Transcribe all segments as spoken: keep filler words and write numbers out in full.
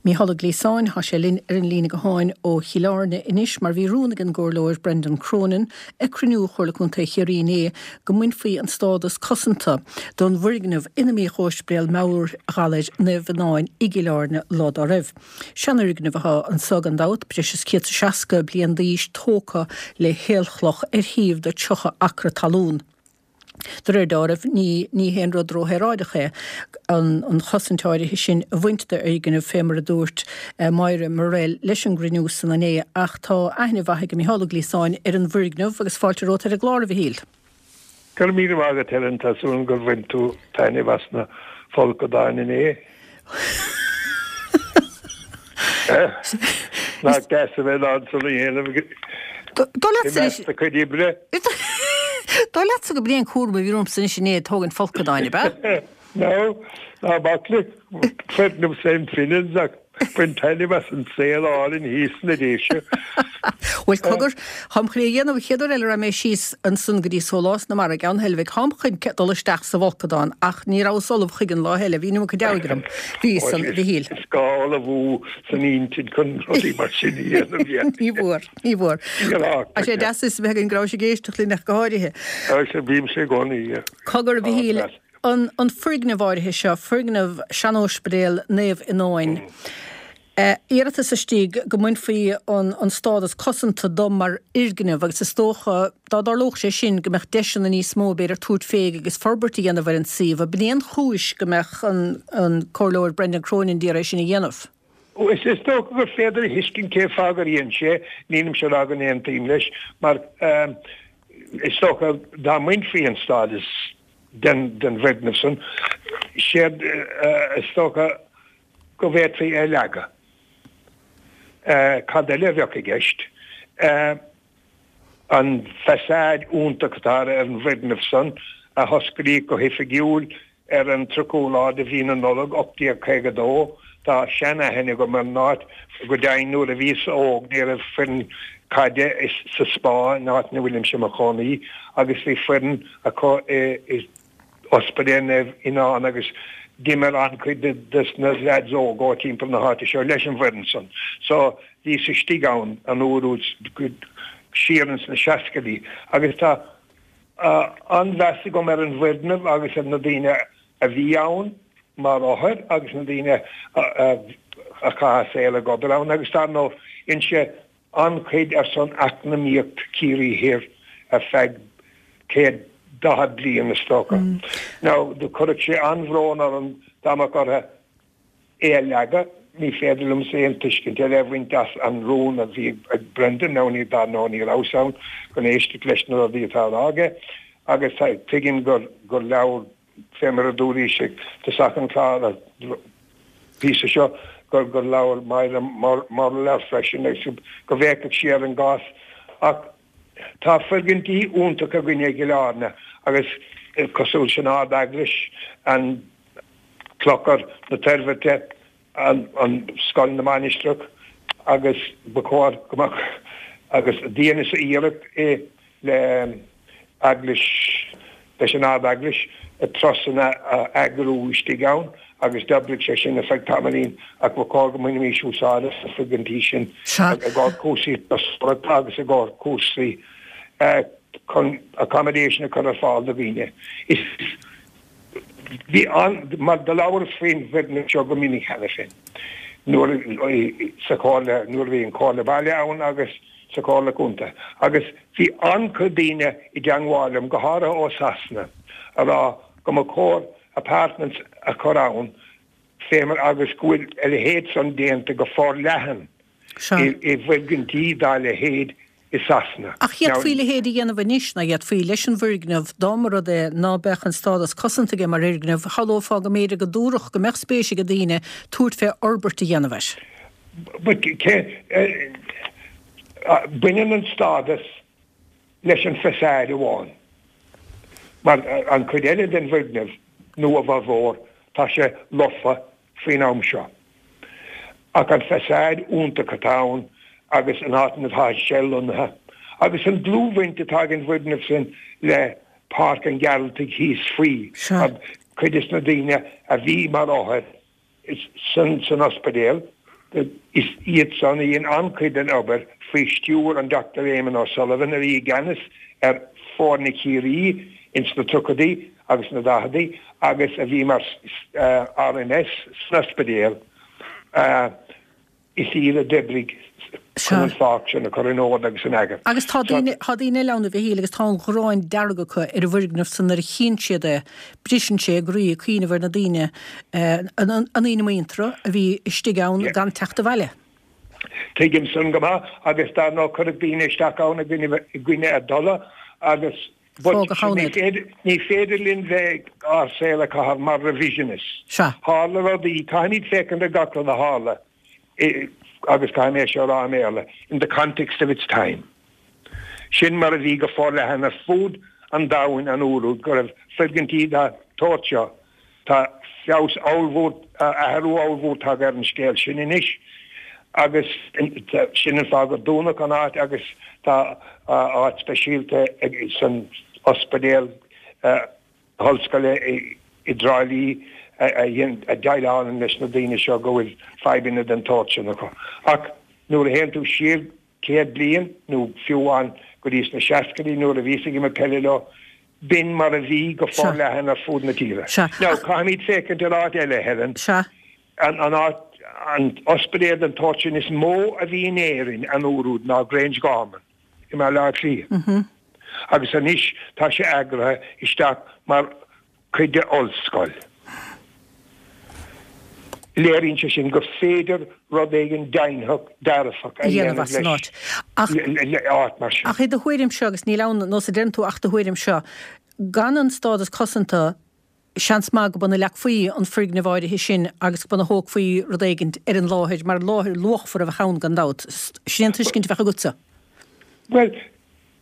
Mícheál Ó Gliasáin, tá sé linn ar an líne gutháin ó Chill Airne anois mar bhí rún ag an gcomhairleoir Brendan Cronin ag cruinniú Chomhairle Contae Chiarraí inné go mbainfí an stádas cosanta don bhfoirgneamh ina mbíodh Ospidéal Meabhair-Ghalair Naomh Fhionáin i gCill Airne lá dá raibh. Seanfhoirgneamh atá anso gan dabht, breis is céad is seasca bliain d'aois tógtha le haolchloch ar shuíomh de tríocha acra talún. De réir dealraimh ní ní haon rud róshaoráideach é an an chosaint áirithe sin a bhaint d'fhoirgneamh fé mar a dúirt Máire Morrell leis an gcruinniú san inné ach tá aithne mhaith ag Mícheál Ó Gliasáin ar an bhfoirgneamh agus fáilte romhat ar an gclár a Mhichíl. Go raibh míle maith agat Helen tá súil gur bhain tú taitneamh as na folcadáin inné. Nach deas a bheith in ann san a dhéanamh Dóigh i measc do chuid oibre. Dóigh leatsa gurb é an cúram a bhí romhamsa anois inné ag tógaint folcadáin, ab ea? No, ná bac le foirgneamh Saint Finans ach bain taitneamh as an saol álainn thíos sna Déise. Bhuel, cogar, táim chun é a dhéanamh an chéad uair eile a raghaidh mé síos ansan go dtí Sólás na Mara i gCeann Heilbhic, táim chun dul isteach sa bhfolcadán ach ní rabhas ullamh chuige an lá eile, bhí an iomarca deabhaidh orm. Bhí san, a Mhichíl. Is gá ullmhú san intinn chun rudaí mar sin a dhéanamh, yeah. Ní bhfuair, ní bhfuair. Tá sé deas is a bheith againn go rabhais ag éisteacht linn ach go háirithe. Tá sé, bímse i gcónaí, yeah. Cogar, a Mhichíl, an an foirgneamh áirithe seo, foirgneamh sean-Ospidéal Naomh Fhionáin, iarratas istigh go mbainfí an an stádas cosanta dó mar fhoirgneamh agus is dócha, dá dtarlódh sé sin, go mbeadh deiseanna níos mó, b'fhéidir, tabhairt fé agus forbairt a dhéanamh ar an suíomh. Ab in é an chúis go mbeadh an an Comhairleoir Brendan Cronin d'iarraidh é sin a dhéanamh? Is is dócha gur féidir a thuiscint cé fáth gur dhein sé, nílimse ag rá go n-aontaím leis, mar is dócha dá mbainfí an stádas den den bhfoirgneamh san, séard is dócha go bhféadfaí é a leagadh. Cad eile a bheadh i gceist? An façade iontach atá ar an bhfoirgneamh san, a hosclaíodh go hoifigiúil ar an tríochú lá de mhí na Nollag ocht déag caoga a dó. Tá sean-aithne agam ar an áit. Go deimhin nuair a bhíos óg ní raibh foireann caide sa Spá, an áit ina bhfuilimse i mo chónaí, agus bhí foireann acu i Ospidéal Naomh Fhionáin agus d'imir an-chuid de na leaids óga ó timpeall na háite seo leis an bhfoireann san. So bhíos istigh ann an uair úd siar ins na seascaidí agus tá an-mheas agam ar an bhfoirgneamh agus ar na daoine a bhí ann mar othair agus na daoine a chaith a saol ag obair ann agus dar ndóigh dhein sé an-chuid ar son eacnamaíocht Chiarraí Thiar ar feadh céad daichead bliain is dócha. Now do chuirfeadh sé an-bhrón orm dá mbeadh orthu é a leagadh. Ní féidir liomsa aon tuiscint eile a bhaint as an rún a bhí ag Brendan, nó ní, dar ndóigh ní rabhas ann chun éisteacht leis na rudaí atá á rá aige, agus tuigim gur gur labhair, fé mar a dúraís ag tosach an chláir, an píosa seo, gur gur labhair Máire Morrell air freisin agus go bhféachfadh sí ar an gcás. Ach tá foirgintí iontacha againne i gCill Airne agus cosúil leis an Ard-Eaglais, an Clochar na Toirbhirte, an Scoil na Mainistreach agus ba chóir go mbeadh agus dheineas iarracht i le eaglais leis an Ard-Eaglais turasanna a eagrú istigh ann agus d'oibrigh sé sin ar feadh tamaillín ach ba chóir go mbainfimís úsáid as na foirgintí sin i gcomhair cúrsaí turasóireachta agus i gcomhair cúrsaí chun accommodation a chur ar fáil do dhaoine. Is Bhí an, mar do labhras faoin bhfoirgneamh seo go minic cheana féin, nuair sa chomhairle, nuair a bhí an Chomhairle Baile ann agus sa Chomhairle Contae, agus bhí an-chuid daoine i dteangmháil liom, go háirithe ó Sasana, a rá go mba chóir apartments a chur ann fé mar agus go bhfuil a leithéid san déanta go forleathan i bhfoirgintí dá leithéid i Sasana. Ach d'fhéadfaí a leithéid a dhéanamh anois, ná d'fhéadfaí, leis an bhfoirgneamh, dá mba rud é ná beadh an stádas cosanta aige mar fhoirgneamh, shamhlófá go mb'fhéidir go dtabharfadh, go mbeadh spéis ag daoine tabhairt fé fhorbairt a dhéanamh air. But cé, baineann an stádas leis an façade amháin, mar an chuid eile den bhfoirgneamh, nó a bhformhór, tá sé lofa faoin am seo. Ach an façade iontach atá ann agus an áit ina atá sé lonnaithe, agus an dlúthbhaint atá ag an bhfoirgneamh sin le Páirc an Ghearaltaigh thíos faoi, mar cuid des na daoine a bhí mar othair san san ospidéal, Is iad san a dhein an-chuid den obair faoi stiúir an Dochtúir Éamon O'Sullivan a bhí i gceannas ar foirne Chiarraí ins na tríochaidí agus na daicheadaí agus a bhí mar R M S san ospidéal. Is iad a d'oibrigh chun an pháirc sin a chur in ord agus in eagar. Agus tá daoine tá daoine eile ann, a Mhichíl, agus tá an ghráin dearg acu ar an bhfoirgneamh san nuair a chíonn siad é, briseann sé a gcroí ag cuimhneamh ar na daoine, an daoine muinteartha a bhí istigh ann gan teacht abhaile. Tuigim san go maith agus dar ndóigh cuireadh daoine isteach ann i gcoinne a dtola agus ní féidir linn bheith ár saol a chaitheamh mar revisionists. Tharla rudaí, caithfimid féachaint ar gach rud a tharla agus caithfidh mé seo a rá i mBéarla, in the context of its time. Sin mar a bhí go forleathan ar fud an domhain an uair úd go raibh foirgintí den tsórt seo. Tá feabhas ollmhór, athrú ollmhór tagtha ar an scéal sin anois agus sin an fáth gur dúnadh an áit agus tá áit speisialta san ospidéal ollscoile i dTrá Lí a dhéileálann leis na daoine seo go bhfuil fadhbanna den tsórt sin acu. Ach nuair a théann tú siar céad bliain nó fiú amháin go dtí sna seascaidí nuair a bhíos ag imirt peile leo, b'in mar a bhí go forleathan ar fud na tíre. Now caithfimid féachaint ar áit eile, Helen. An an áit an ospidéal den tsórt sin is mó a bhí in Éirinn an uair úd ná Grangegorman i mBaile Átha Cliath. Agus anois tá sé eagraithe isteach mar chuid de ollscoil. Léiríonn sé sin gur féidir rud éigin deimhneach dearfach a dhéanamh as an áit. Áit mar sin. Ach i do thuairimse, agus níl ann nós a deireann tú ach do thuairimse, gan an stádas cosanta, seans maith go b'ann a leagfaí an foirgneamh áirithe sin agus go b'ann a thógfaí rud éigin ar an láthair mar láthair luachmhar a bheadh ann gan dabht. Sin an tuiscint a bheadh agatsa. Well,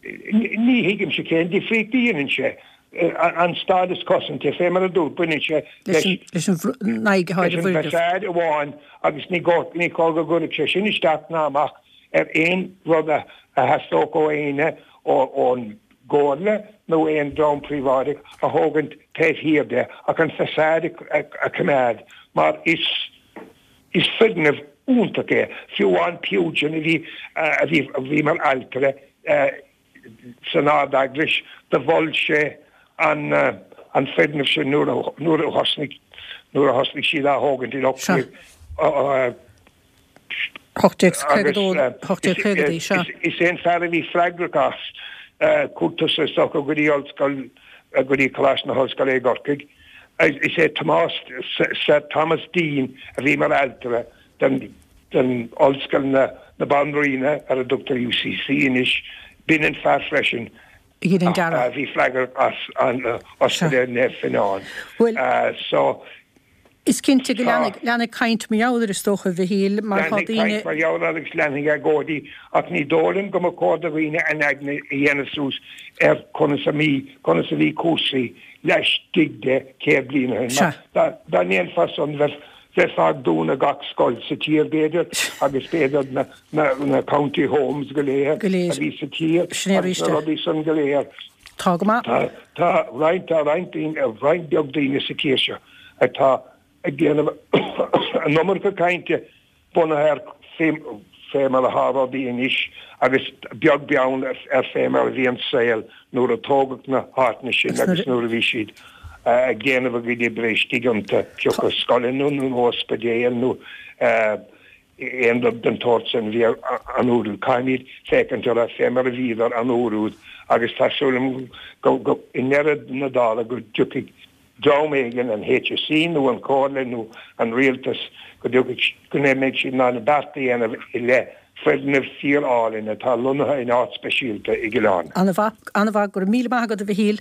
ní thuigimse cén difríocht a dhéanann sé. An stádas cosanta, fé mar a dúirt, baineann sé leis an bhfaçade amháin agus ní ní cóir go gcuirfeadh sé sin isteach ná amach ar aon rud a theastódh ó éinne ón gcomhairle nó aon dream príobháideach a thógaint taobh thiar de ach an façade a choimeád mar is is foirgneamh iontach é. Fiú amháin Pugin a bhí a bhí a bhí mar ailtire san Ard-Eaglais do mhol sé an an foirgneamh sin nuair nuair a thosnaigh nuair a thosnaigh siad á thógaint in ocht ocht déag caoga dó. Is é an fear a bhí freagrach as cúrtas is go dtí ollscoil go dtí Coláiste na hOllscoile i gCorcaigh. Is é Tomás Sir Thomas Deane a bhí mar ailtire den den ollscoil na na Banríona ar a dtugtar U C C anois, b'in an fear freisin a bhí freagrach as an ospidéal Naomh Fionnán. So Is cinnte go leanfaidh caint mar gheall air, is dócha, Mhichíl, mar tá daoine. Mar gheall air agus leanfaidh agóidí ach ní dóigh liom go mba chóir do dhaoine a n-aigne a dhéanamh suas ar conas a bhí conas a bhí cúrsaí laistigh de céad bliain ó shin. Dá ndéanfá san bheifeá ag dúnadh gach scoil sa tír b'fhéidir agus b'fhéidir na na county homes go léir a bhí sa tír agus na rudaí san go léir. Tá go maith. Tá roinnt tá roinnt roinnt beag daoine sa tír seo atá ag déanamh an iomarca cainte bunaithe ar fé mar atá rudaí anois agus beag beann ar fé mar a bhí an saol nuair a tógadh na háiteanna sin agus nuair a bhí siad ag déanamh a gcuid oibre istigh iontu, pé acu scoileanna nó ospidéil nó aon rud den tsórt sin bhí an uair úd. Caithfimid féachaint orthu fé mar a bhíodar an uair úd agus tá súil agam go i ndeireadh na dála go dtiocfaidh dream éigin, an H S E nó an Chomhairle nó an rialtas, go dtiocfaidh go mbeidh siad in ann beart a dhéanamh i leith foirgneamh fíor-álainn atá lonnaithe in áit speisialta i gCill Airne. An-mhaith, an-mhaith, go raibh míle maith agat, a Mhichíl.